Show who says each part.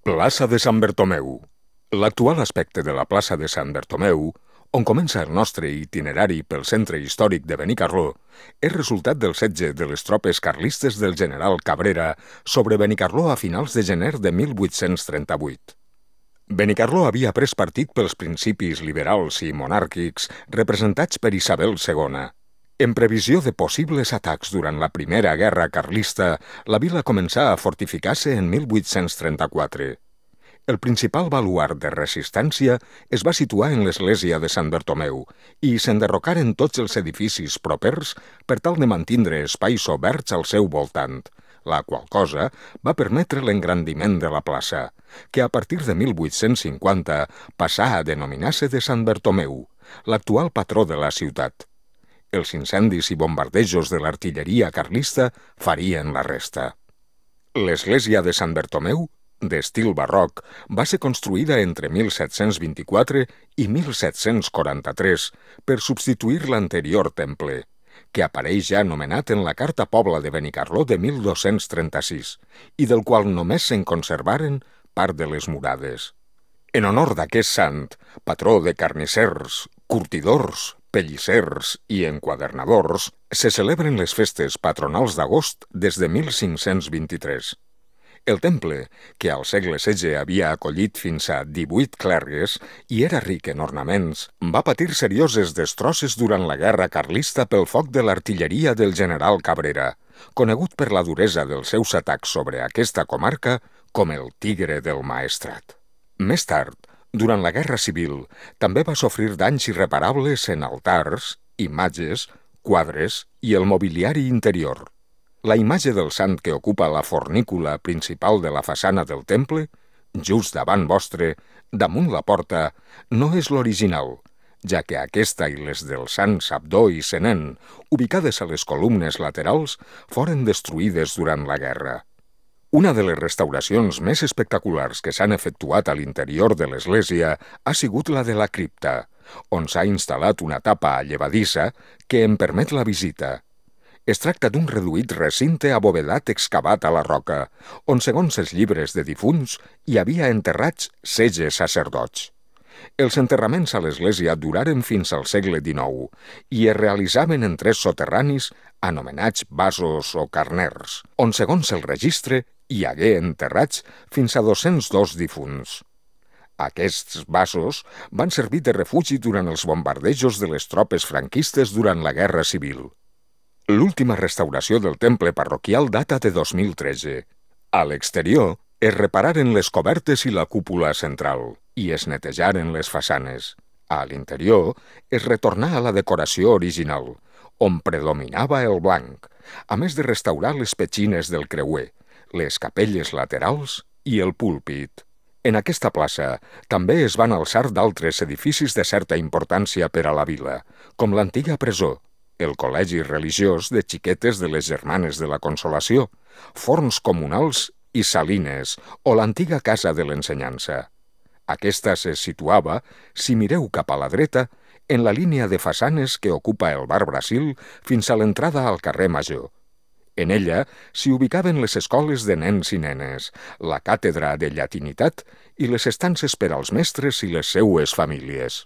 Speaker 1: Plaça de Sant Bertomeu. L'actual aspecte de la plaça de Sant Bertomeu, on comença el nostre itinerari pel centre històric de Benicarló, és resultat del setge de les tropes carlistes del general Cabrera sobre Benicarló a finals de gener de 1838. Benicarló havia pres partit pels principis liberals i monàrquics representats per Isabel II. En previsió de possibles atacs durant la Primera Guerra Carlista, la vila començà a fortificar-se en 1834. El principal baluard de resistència es va situar en l'església de Sant Bertomeu i s'enderrocaren tots els edificis propers per tal de mantindre espais oberts al seu voltant, la qual cosa va permetre l'engrandiment de la plaça, que a partir de 1850 passà a denominar-se de Sant Bertomeu, l'actual patró de la ciutat. Els incendis i bombardejos de l'artilleria carlista farien la resta. L'església de Sant Bertomeu, d'estil barroc, va ser construïda entre 1724 i 1743 per substituir l'anterior temple, que apareix ja anomenat en la Carta Pobla de Benicarló de 1236 i del qual només se'n conservaren part de les murades. En honor d'aquest sant, patró de carnissers, curtidors, pellissers i enquadernadors, se celebren les festes patronals d'agost des de 1523. El temple, que al segle XVI havia acollit fins a 18 clergues i era ric en ornaments, va patir serioses destrosses durant la guerra carlista pel foc de l'artilleria del general Cabrera, conegut per la duresa dels seus atacs sobre aquesta comarca com el Tigre del Maestrat. Més tard, durant la Guerra Civil, també va sofrir danys irreparables en altars, imatges, quadres i el mobiliari interior. La imatge del sant que ocupa la fornícula principal de la façana del temple, just davant vostre, damunt la porta, no és l'original, ja que aquesta i les del sant Abdó i Senén, ubicades a les columnes laterals, foren destruïdes durant la guerra. Una de les restauracions més espectaculars que s'han efectuat a l'interior de l'església ha sigut la de la cripta, on s'ha instal·lat una tapa llevadissa que en permet la visita. Es tracta d'un reduït recinte abovedat excavat a la roca, on, segons els llibres de difunts, hi havia enterrats 16 sacerdots. Els enterraments a l'església duraren fins al segle XIX i es realitzaven en 3 soterranis anomenats basos o carners, on, segons el registre, hi hagué enterrats fins a 202 difunts. Aquests basos van servir de refugi durant els bombardejos de les tropes franquistes durant la Guerra Civil. L'última restauració del temple parroquial data de 2013. A l'exterior es repararen les cobertes i la cúpula central i es netejaren les façanes. A l'interior es retornà a la decoració original, on predominava el blanc, a més de restaurar les petxines del creuer, les capelles laterals i el púlpit. En aquesta plaça també es van alçar d'altres edificis de certa importància per a la vila, com l'antiga presó, el col·legi religiós de xiquetes de les Germanes de la Consolació, forns comunals i salines o l'antiga casa de l'ensenyança. Aquesta se situava, si mireu cap a la dreta, en la línia de façanes que ocupa el Bar Brasil fins a l'entrada al carrer Major. En ella s'hi ubicaven les escoles de nens i nenes, la càtedra de llatinitat i les estances per als mestres i les seues famílies.